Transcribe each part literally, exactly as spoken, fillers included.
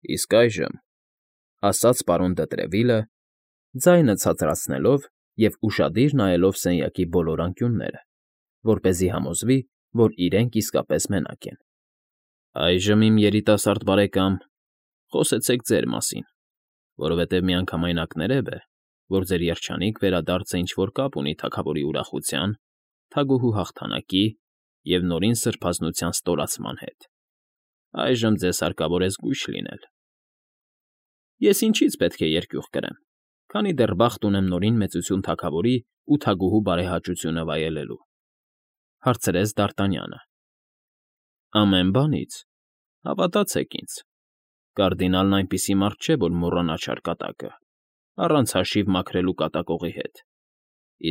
Իսկ այժմ,֊ ասաց պարոն Դետրևիլը, ձայնը ցածրացնելով և ուշադիր նայելով սենյակի բոլոր անկյունները, որպեսզի համոզվի, որ իրենք իսկապես մենակ են,֊ այժմ, իմ երիտասարդ բարեկամ, խոսեցեք ձեր մասին, որովհետև միանգամայն կներև է, որ ձեր երջանիկ վերադարձը ինչ֊որ կապ ունի թագավորի ուրախության, թագուհու հաղթանակի և նորին սրբազնության ստորացման հետ. այժմ ձեզ հարկավոր է զգույշ լինել։ ֊ Ես ինչի՞ց պետք է երկյուղ կրեմ, քանի դեռ բախտ ունեմ նորին մեծություն թագավորի ու թագուհու բարեհաճությունը վայելելու,֊ հարցրեց Դ'Արտանյանը։ ֊ Ամեն բանից, հավատացեք ինձ, կարդինալն այնպիսի մարդ չէ, որ մոռանա չարկատակը, առանց հաշիվ մաքրելու կատակողի հետ,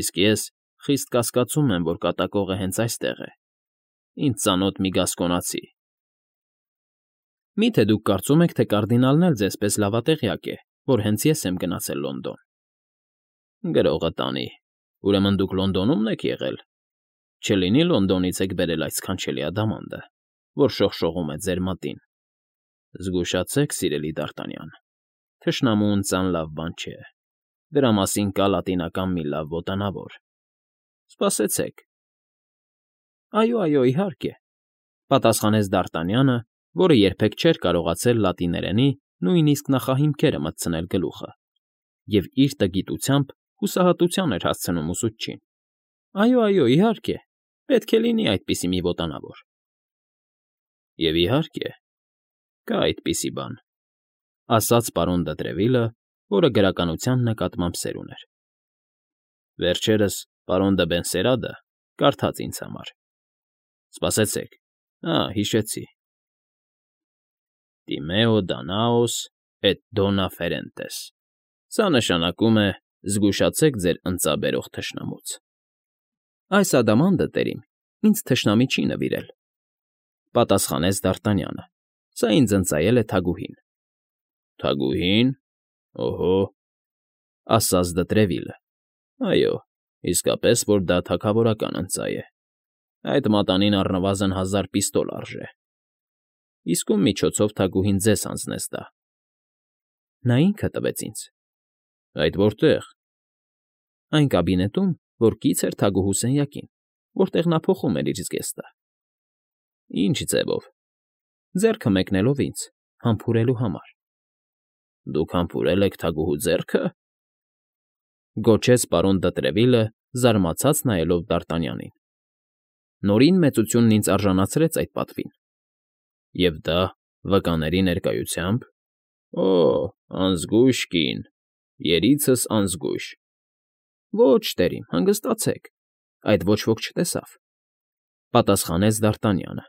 իսկ ես խիստ կասկածում եմ, որ կատակողը հենց այստեղ է, ինձ ծանոթ մի գասկոնացի։ ֊ Մի՞թե դուք կարծում եք, թե կարդինալն էլ ձեզպես լավատեղյակ է, որ հենց ես եմ գնացել Լոնդոն։ ֊ Գրողը տանի, ուրեմն դուք Լոնդոնում եք եղել, չլինի Լոնդոնից եք բերել այդ սքանչելի ադամանդը, որ շողշողում է ձեր մատին։ Զգուշացեք, սիրելի Դ'Արտանյան, թշնամու ընծան լավ բան չէ, դրա մասին կա լատինական մի լավ ոտանավոր։ Սպասեցեք։ ֊ Այո, այո, իհարկե,֊ պատասխանեց Դ'Արտանյանը, որը երբեք չէր կարողացել լատիներենի նույնիսկ նախահիմքերը մտցնել գլուխը և իր տգիտությամբ հուսահատության էր հասցնում ուսուցչին։ ֊ Այո, այո, իհարկե, պետք է լինի այդպիսի մի ոտանավոր։ ֊ Եվ, իհարկե, կա այդպիսի բան,֊ ասաց պարոն Դետրևիլը, որը գրականության նկատմամբ սեր ուներ։ Վերջերս պարոն դը Բենսերադը կարդաց ինձ համար։ Սպասեցեք, ա՛, հիշեցի. Տիմեո Դանաոս էտ դոնա ֆերենտես. սա նշանակում է «Զգուշացեք ձեր ընծաբերող թշնամուց»։ ֊ Այս ադամանդը, տերիմ, ինձ թշնամի չի նվիրել,֊ պատասխանեց Դ'Արտանյանը,֊ սա ինձ ընծայել է թագուհին։ ֊ Թագուհի՞ն, օհո,֊ ասաց Դետրևիլը,֊ այո, իսկապես որ դա թագավորական ընծայ է, այդ մատանին առնվազն հազար պիստոլ արժե։ Իսկ ում միջոցով թագուհին ձեզ հանձնեց դա։ ֊ Նա ինքը տվեց ինձ։ ֊ Այդ որտե՞ղ։ ֊ Այն կաբինետում, որ կից էր թագուհու սենյակին, որտեղ նա փոխում էր իր զգեստը։ ֊ Ի՞նչ ձևով։ ֊ Ձեռքը մեկնելով ինձ, համբուրելու համար։ ֊ Դուք համբուրել եք թագուհու ձեռքը,֊ գոչեց պարոն Դետրևիլը, զարմացած նայելով Դ'Արտանյանին։ Նորին մեծությունն ինձ արժանացրեց այդ պատվին։ ֊ Եվ դա վկաների ներկայությա՞մբ։ ֊ Օ՜, անզգույշ կին, երիցս անզգույշ։ ֊ Ոչ, տերիմ, հանգստացեք, այդ ոչ ոք չտեսավ,֊ պատասխանեց Դ'Արտանյանը,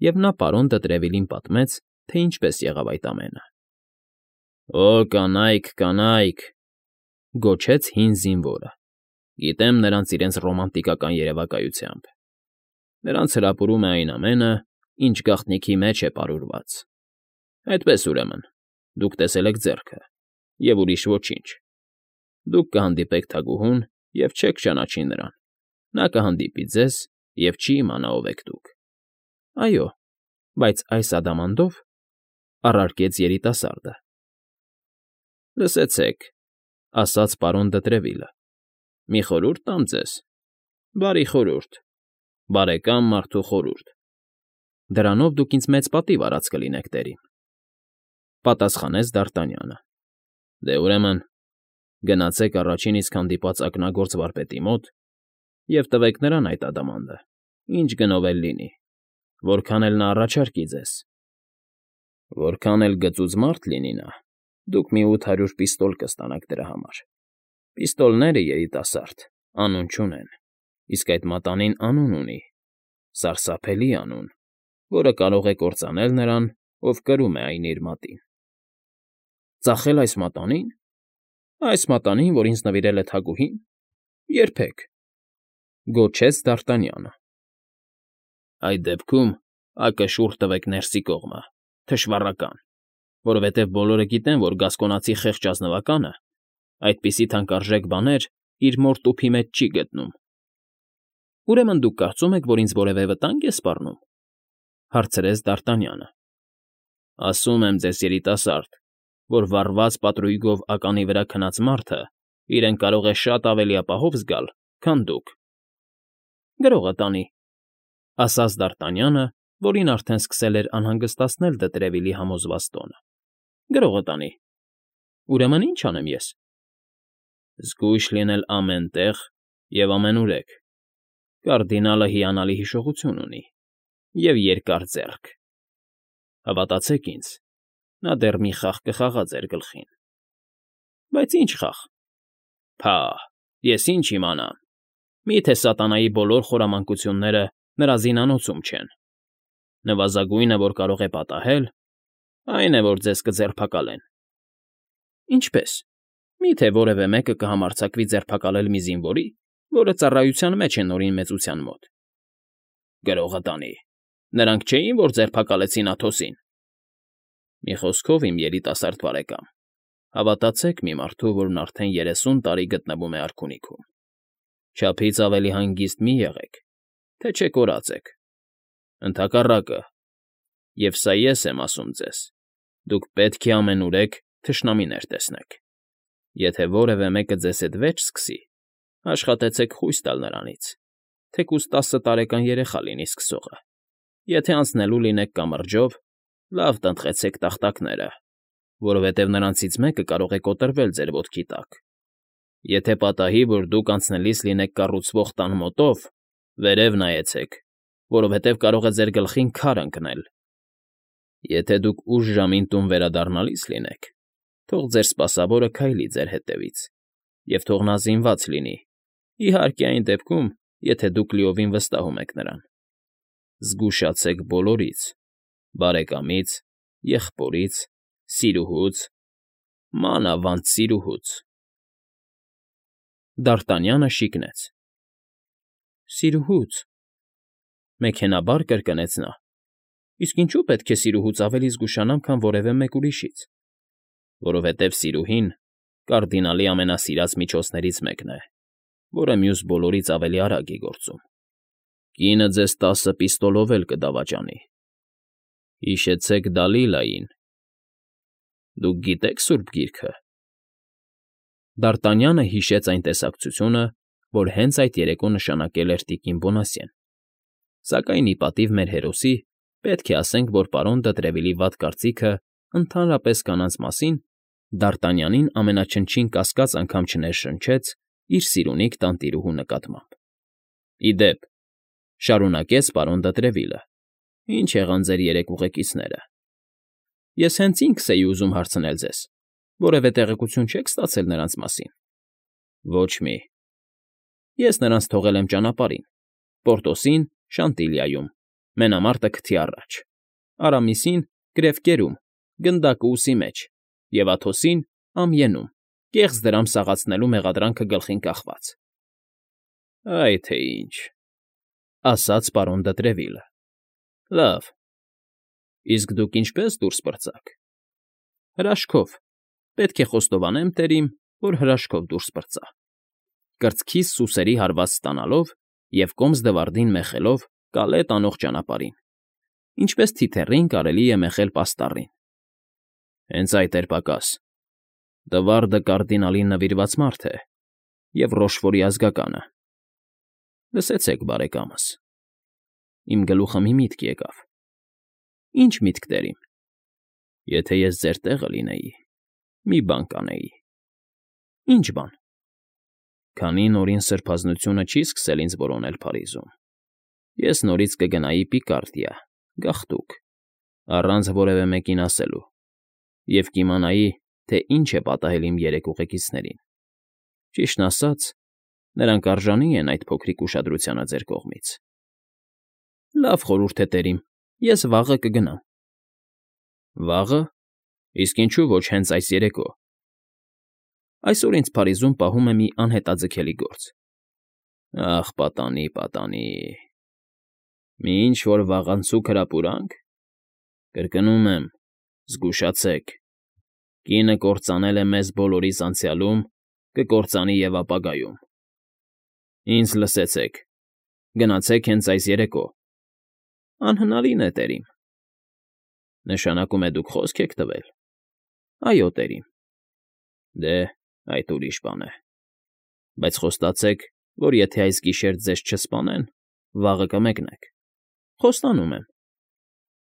և նա պարոն Դետրևիլին պատմեց, թե ինչպես եղավ այդ ամենը։ ֊ Օ, կանայք, կանայք,֊ գոչեց հին զինվորը,֊ գիտեմ նրանց իրենց ռոմանտիկական երևակայությամբ։ Նրանց հրապուրում է այն ամենը, ինչ գաղտնիքի մեջ է պարուրված։ Այդպես, ուրեմն, դուք տեսել եք ձեռքը, և ուրիշ ոչինչ։ Դուք կհանդիպեք թագուհուն և չեք ճանաչի նրան, նա կհանդիպի ձեզ և չի իմանա ով եք դուք։ ֊ Այո, բայց այս ադամանդով,֊ առարկեց երիտասարդը։ ֊ Լսեցեք,֊ ասաց պարոն Դետրևիլը,֊ մի խորհուրդ տամ ձեզ, բարի խորհուրդ, բարեկամ մարդու խորհուրդ։ ֊ Դրանով դուք ինձ մեծ պատիվ արած կլինեք, տերիմ,֊ պատասխանեց Դ'Արտանյանը։ ֊ Դե, ուրեմն, գնացեք առաջին իսկ հանդիպած ակնագործ վարպետի մոտ և տվեք նրան այդ ադամանդը, ինչ գնով էլ լինի, որքան էլ նա առաջարկի ձեզ։ Որքան էլ գծուծ մարդ լինի նա, դուք մի ութ հարյուր պիստոլ կստանաք դրա համար։ Պիստոլները, երիտասարդ, անուն չունեն, իսկ այդ մատանին անուն ունի, սարսափելի անուն, որը կարող է կործանել նրան, ով կրում է այն իր մատին։ ֊ Ծախե՞լ այս մատանին։ ֊ Այս մատանին, որ ինձ նվիրել է թագուհին, երբեք,֊ գոչեց Դ'Արտանյանը։ ֊ Այդ դեպքում ակը շուռ տվեք ներսի կողմը, թշվառական, որովհետև բոլորը գիտեն, որ գասկոնացի խեղճ ազնվականը այդպիսի թանկարժեք բաներ իր մոր տուփի մեջ չի գտնում։ ֊ Ուրեմն դուք կարծում եք, որ ինձ որևէ վտանգ է սպառնում,֊ հարցրեց Դ'Արտանյանը։ Ասում եմ ձեզ, երիտասարդ, որ վառված պատրույգով ականի վրա քնած մարդը իրեն կարող է շատ ավելի ապահով զգալ, քան դուք։ ֊ Գրողը տանի,֊ ասաց Դ'Արտանյանը, որին արդեն սկսել էր անհանգստացնել Դետրևիլի համոզված տոնը։֊ Գրողը տանի։ Ուրեմն ի՞նչ անեմ ես։ ֊ Զգույշ լինել ամեն տեղ և ամենուրեք. կարդինալը հիանալի հիշողություն ունի և երկար ձեռք. հավատացեք ինձ, նա դեռ մի խաղ կխաղա ձեր գլխին։ ֊ Բայց ի՞նչ խաղ։ ֊ Փահ, ես ինչ իմանամ, մի՞թե սատանայի բոլոր խորամանկությունները նրա զինանոցում չեն։ Նվազագույնը, որ կարող է պատահել, այն է, որ ձեզ կձերբակալեն։ ֊ Ինչպե՞ս։ Մի՞թե որևէ մեկը կհամարձակվի ձերբակալել մի զինվորի, որը ծառայության մեջ է Նորին Մեծության մոտ։ ֊ Գրողը տանի։ Նրանք չէին, որ ձերբակալեցին Աթոսին։ ֊ Մի խոսքով, իմ երիտասարդ բարեկամ, հավատացեք մի մարդու, որն արդեն երեսուն տարի գտնվում է արքունիքում, չափից ավելի հանգիստ մի եղեք, թե չէ կորած եք։ Ընդհակառակը, և սա ես եմ ասում ձեզ, դուք պետք է ամենուրեք թշնամիներ տեսնեք։ Եթե որևէ մեկը ձեզ հետ վերջ սկսի, աշխատեցեք խույս տալ նրանից, թեկուզ տասը տարեկան երեխա լինի սկսողը։ Եթե անցնելու լինեք կամրջով, լավ տնտղեցեք տախտակները, որովհետև նրանցից մեկը կարող է կոտրվել ձեր ոտքի տակ։ Եթե պատահի, որ դուք անցնելիս լինեք կառուցվող տան մոտով, վերև նայեցեք, որովհետև կարող է ձեր գլխին քար ընկնել։ Եթե դուք ուշ ժամին տուն վերադառնալիս լինեք, թող ձեր սպասավորը քայլի ձեր հետևից, և թող նա զինված լինի, իհարկե այն դեպքում, եթե դուք լիովին վստահում եք նրան։ Զգուշացեք բոլորից՝ բարեկամից, եղբորից, սիրուհուց, մանավանդ սիրուհուց… Դ'Արտանյանը շիկնեց։ ֊ Սիրուհո՞ւց,֊ մեքենայաբար կրկնեց նա։ ֊ Իսկ ինչո՞ւ պետք է սիրուհուց ավելի զգուշանամ, քան որևէ մեկ ուրիշից։ ֊ Որովհետև սիրուհին կարդինալի ամենասիրած միջոցներից մեկն է, որը մյուս բոլորից ավելի արագ է գործում։ Կինը ձեզ տասը պիստոլով էլ կդավաճանի։ Հիշեցեք Դալիլային… Դուք գիտե՞ք Սուրբ Գիրքը։ Դ'Արտանյանը հիշեց այն տեսակցությունը, որ հենց այդ երեկո նշանակել էր տիկին Բոնասյեն, սակայն ի պատիվ մեր հերոսի պետք է ասենք, որ պարոն Դետրևիլի վատ կարծիքը ընդհանրապես կանանց մասին Դ'Արտանյանին ամենաչնչին կասկած անգամ չներշնչեց իր սիրունիկ տանտիրուհու նկատմամբ։ ֊ Ի դեպ,֊ շարունակեց պարոն Դետրևիլը,֊ ի՞նչ եղան ձեր երեք ուղեկիցները։ Ես հենց ինքս էի ուզում հարցնել ձեզ. որևէ տեղեկություն չե՞ք ստացել նրանց մասին։ ֊ Ոչ մի։ ֊ Ես նրանց թողել եմ ճանապարհին՝ Պորտոսին, Շանտիլիայում, մենամարտը քթի առաջ, Արամիսին՝ գրեվկերում, գնդակը ուսի մեջ, և Աթոսին՝ ամյենում, կեղծ դրամ սաղացնելու մեղադրանքը գլխին կախված։ ֊ Այ թե ինչ,֊ ասաց պարոն Դետրևիլը։֊ Լավ, իսկ դուք ինչպե՞ս դուրս պրծաք։ ֊ Հրաշքով, պետք է խոստովանեմ, տերիմ, որ հրաշքով դուրս պրծա, կրծքիս սուսերի հարված ստանալով և կոմս֊դվարդին մեխելով կալե տանող ճանապարհին, ինչպես թիթեռին կարելի է մեխել պաստառին։ ֊ Հենց այդ էր պակաս. Դվարդը կարդինալին նվիրված մարդ է և Ռոշֆորի ազգականը։ Լսեցեք, բարեկամս… Իմ գլուխը մի միտք եկավ։ ֊ Ի՞նչ միտք, տերիմ։ ֊ Եթե ես ձեր տեղը լինեի, մի բան կանեի։ ֊ Ի՞նչ բան։ ֊ Քանի նորին սրբազնությունը չի սկսել ինձ որոնել Փարիզում, ես նորից կգնայի Պիկարդիա, գաղթուկ, առանց որևէ մեկին ասելու, և կիմանայի, թե ինչ է պատահել իմ երեք ուղեկիցներին։ Ճիշտն ասած, նրանք արժանի են այդ փոքրիկ ուշադրությանը ձեր կողմից։ ֊ Լավ խորհուրդ է, տերիմ, ես վաղը կգնամ։ ֊ Վաղը… Իսկ ինչու ոչ հենց այս երեկո։ ֊ Այսօր ինձ Փարիզում պահում է մի անհետաձգելի գործ։ ֊ Ախ, պատանի, պատանի… Մի ինչ֊որ վաղանցուկ հրապուրա՞նք։ Կրկնում եմ, զգուշացեք… Կինը կործանել է մեզ բոլորիս անցյալում, կկործանի և ապագայում։ Ինձ լսեցեք… Գնացեք հենց այս երեկո։ ֊ Անհնարին է, տերիմ։ Նշանակում է դուք խոսք եք տվել։ Այո, տերիմ։ Դե, այդ ուրիշ բան է։ Բայց խոստացեք, որ եթե այս գիշեր ձեզ չսպանեն, վաղը կմեկնեք։ Խոստանում եմ։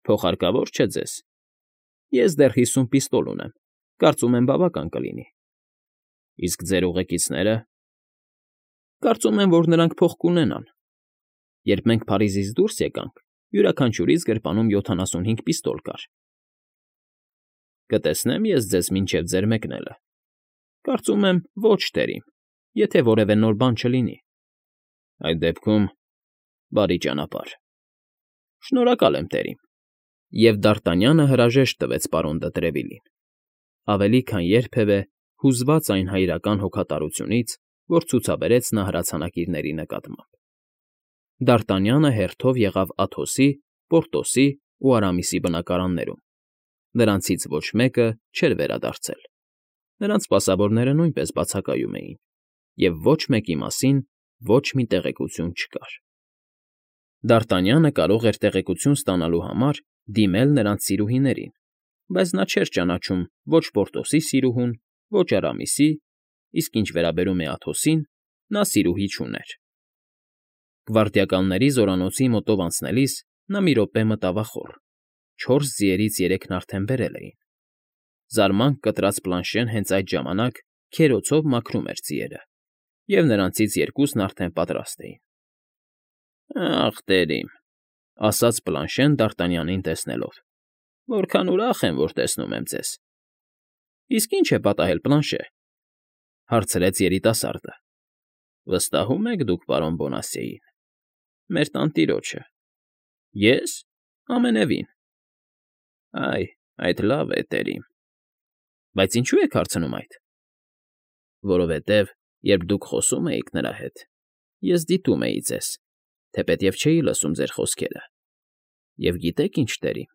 Փոխհարկավոր չէ ձեզ։ Ես դեռ հիսուն պիստոլ ունեմ, կարծում եմ բավական կլինի։ Իսկ ձեր ուղեկիցնե՞րը։ Կարծում եմ, որ նրանք փող կունենան։ Երբ մենք Փարիզից դուրս եկանք, յուրաքանչյուրիս գրպանում յոթանասունհինգ պիստոլ կար։ Կտեսնեմ ես ձեզ մինչև ձեր մեկնելը։ Կարծում եմ, ոչ, տերիմ, եթե որևէ նոր բան չլինի։ Այդ դեպքում բարի ճանապարհ։ Շնորհակալ եմ, տերիմ։ Եվ Դ'Արտանյանը հրաժեշտ տվեց պարոն դը Տրևիլին, ավելի քան երբևէ հուզված այն հայրական հոգատարությունից, որ ցուցաբերեց նա հրացանակիրների նկատմամբ։ Դ'Արտանյանը հերթով եղավ Աթոսի, Պորտոսի ու Արամիսի բնակարաններում։ Նրանցից ոչ մեկը չէր վերադարձել։ Նրանց սպասավորները նույնպես բացակայում էին, և ոչ մեկի մասին ոչ մի տեղեկություն չկար։ Դ'Արտանյանը կարող էր տեղեկություն ստանալու համար դիմել նրանց սիրուհիներին, բայց նա չէր ճանաչում ոչ Պորտոսի սիրուհուն, ոչ Արամիսի, իսկ ինչ վերաբերում է Աթոսին, նա սիրուհի չուներ։ Գվարդիականների զորանոցի մոտով անցնելիս նա մի րոպե մտավ ախոռ. չորս ձիերից երեքն արդեն բերել էին։ Զարմանք կտրած Պլանշեն հենց այդ ժամանակ քերոցով մաքրում էր ձիերը, և նրանցից երկուսն արդեն պատրաստ էին։ Ախ, տերիմ, ասաց Պլանշեն Դ'Արտանյանին տեսնելով, որքան ուրախ եմ, որ տեսնում եմ ձեզ։ Իսկ ի՞նչ է պատահել, Պլանշե, հարցրեց երիտասարդը։ Վստահում եք դուք պարոն Բոնասիեին։ Մեր տանտիրոջը։ Ես։ Ամենևին։ Այ, այդ լավ է, տերիմ։ Բայց ինչու եք հարցնում այդ։ Որովհետև, երբ դուք խոսում էիք նրա հետ, ես դիտում էի ձեզ, թեպետև չէի լսում ձեր խոսքերը։ Եվ գիտեք ինչ, տերիմ,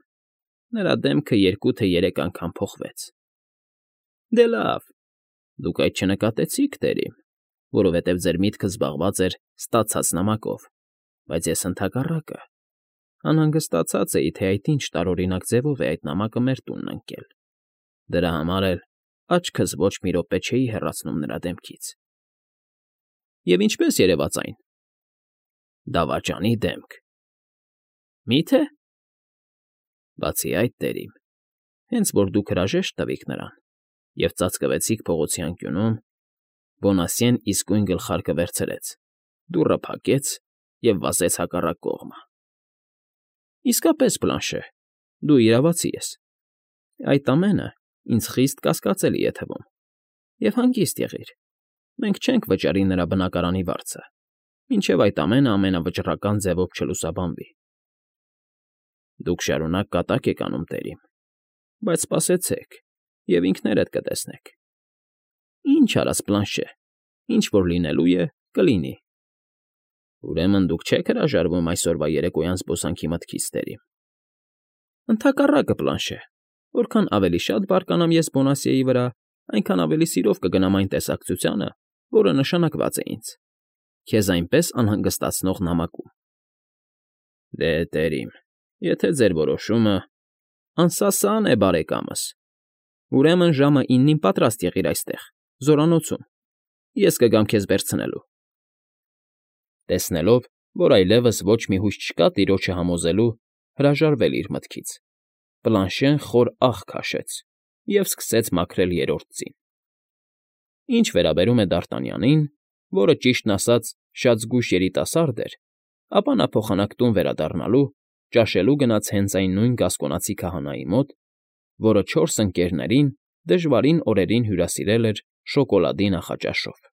նրա դեմքը երկու թե երեք անգամ փոխվեց։ Դե լավ, դուք այդ չնկատեցիք, տերիմ, որովհետև ձեր միտքը զբաղված էր ստացած նամակով, բայց ես ընդհակառակը անհանգստացած էի, թե այդ ինչ տարօրինակ ձևով է այդ նամակը մեր տունն ընկել։ Դրա համար էլ աչքս ոչ մի րոպե չէի հեռացնում նրա դեմքից։ Եվ ինչպե՞ս երևաց այն։ Դավաճանի դեմք։ Մի՞թե։ Բացի այդ, տերիմ, հենց որ դուք հրաժեշտ տվիք նրան և ծածկվեցիք փողոցի անկյունում, Բոնասիեն իսկույն գլխարկը վերցրեց, դուռը փակեց և վազեց հակառակ կողմը։ Իսկապես, Պլանշե, դու իրավացի ես։ Այդ ամենը ինձ խիստ կասկածելի է թվում։ Եվ հանգիստ եղիր, մենք չենք վճարի նրա բնակարանի վարձը, մինչև այդ ամենը ամենավճռական ձևով չլուսաբանվի։ Դուք շարունակ կատակ եք անում, տերիմ, բայց սպասեցեք, և ինքներդ կտեսնեք։ Ինչ արած, Պլանշե, ինչ որ լինելու է, կլինի։ Ուրեմն դուք չեք հրաժարվում այսօրվա երեկոյան զբոսանքի մտքից, տերիմ։ Ընդհակառակը, Պլանշե, որքան ավելի շատ բարկանամ ես Բոնասիեի վրա, այնքան ավելի սիրով կգնամ այն տեսակցությանը, որը նշանակված է ինձ, քեզ այնպես անհանգստացնող նամակում։ Դե, տերիմ, եթե ձեր որոշումը… Անսասան է, բարեկամս։ Ուրեմն ժամը իննին պատրաստ եղիր այստեղ, զորանոցում, ես կգամ քեզ վերցնելու։ Տեսնելով, որ այլևս ոչ մի հույս չկա տիրոջը համոզելու, հրաժարվել իր մտքից, Պլանշեն խոր ահ քաշեց և սկսեց մաքրել երրորդ ձին։ Ինչ վերաբերում է Դ'Արտանյանին, որը, ճիշտն ասած, շատ զգույշ երիտասարդ էր, ապա նա փոխանակ տուն վերադառնալու, ճաշելու գնաց հենց այն նույն գասկոնացի քահանայի մոտ, որը չորս ընկներներին դժվարին օրերին հյուրասիրել էր շոկոլադի նախաճաշով։